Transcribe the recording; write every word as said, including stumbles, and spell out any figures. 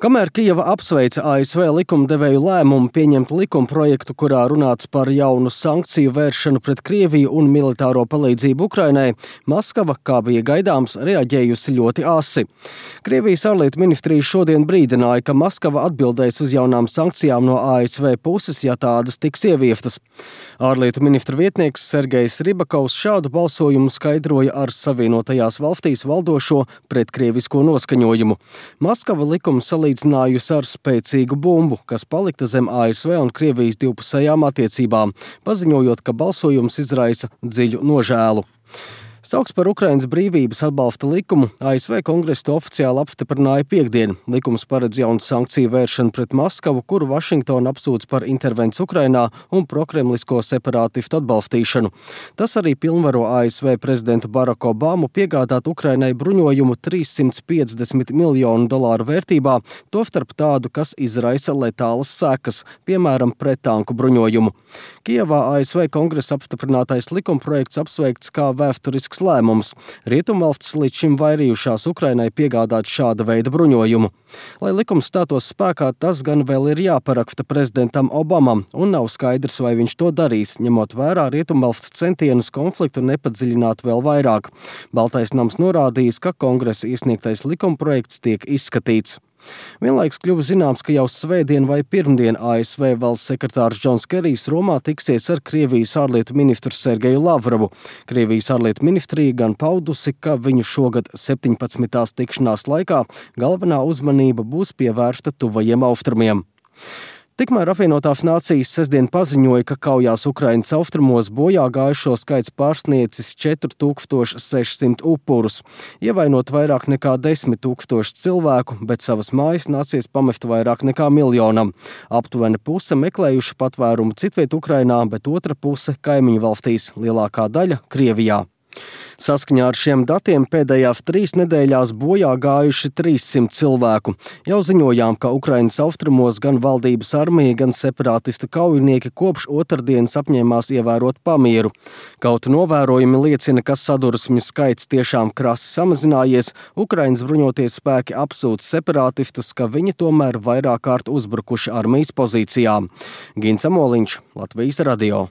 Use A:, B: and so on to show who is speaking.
A: Kamēr Kijeva apsveica A S V likumdevēju lēmumu pieņemt likumprojektu, kurā runāts par jaunu sankciju vēršanu pret Krieviju un militāro palīdzību Ukrainai, Maskava, kā bija gaidāms, reaģējusi ļoti asi. Krievijas ārlietu ministrija šodien brīdināja, ka Maskava atbildēs uz jaunām sankcijām no A S V puses, ja tādas tiks ieviestas. Ārlietu ministra vietnieks Sergejs Ribakovs šādu balsojumu skaidroja ar Savienotajās valstīs valdošo pretkrievisko noskaņojumu. Maskava likumu salīdzinājusi ar spēcīgu bumbu, kas palikta zem A S V un Krievijas divpusējām attiecībām, paziņojot, ka balsojums izraisa dziļu nožēlu. Saukts par Ukrainas brīvības atbalsta likumu A S V kongress to oficiāli apstiprināja piekdien. Likums paredz jaunu sankciju vēršanu pret Maskavu, kuru Vašingtona apsūdz par intervenciju Ukrainā un prokremlisko separātistu atbalstīšanu. Tas arī pilnvaro A S V prezidentu Baraku Obamu piegādāt Ukrainai bruņojumu trīssimt piecdesmit miljonu dolāru vērtībā, tostarp tādu, kas izraisa letālas sekas, piemēram, prettanku bruņojumu. Kijevā A S V kongresa apstiprinātais likumprojekts apsveikts kā vēsturisks lēmums. Rietumvalstis līdz šim vairījušās Ukrainai piegādāt šāda veida bruņojumu. Lai likums stātos spēkā, tas gan vēl ir jāparaksta prezidentam Obamam, un nav skaidrs, vai viņš to darīs, ņemot vērā Rietumvalsts centienus konfliktu nepadziļināt vēl vairāk. Baltais nams norādījis, ka kongresa iesniegtais likumprojekts tiek izskatīts. Vienlaiks kļuva zināms, ka jau svētdien vai pirmdien A S V valsts sekretārs Džons Kerijs Romā tiksies ar Krievijas ārlietu ministru Sergeju Lavrovu. Krievijas ārlietu ministrija gan paudusi, ka viņu šogad septiņpadsmitās tikšanās laikā galvenā uzmanība būs pievērsta tuvajiem austrumiem. Tikmēr apvienotās nācijas sestdien paziņoja, ka kaujās Ukrainas austrumos bojā gājušo skaits pārsniecis četri tūkstoši sešsimt upurus, ievainot vairāk nekā desmit tūkstoši cilvēku, bet savas mājas nācies pamest vairāk nekā miljonam. Aptuveni puse meklējuši patvērumu citviet Ukrainā, bet otra puse kaimiņu valstīs, lielākā daļa Krievijā. Saskaņā ar šiem datiem pēdējās trīs nedēļās bojā gājuši trīssimt cilvēku. Jau ziņojām, ka Ukrainas austrumos gan valdības armija, gan separātistu kaujinieki kopš otrdienas apņēmās ievērot pamieru. Kaut novērojumi liecina, ka sadursmju skaits tiešām krasi samazinājies, Ukrainas bruņoties spēki apsūdz separātistus, ka viņi tomēr vairāk kārt uzbrukuši armijas pozīcijām. Gins Amoliņš, Latvijas radio.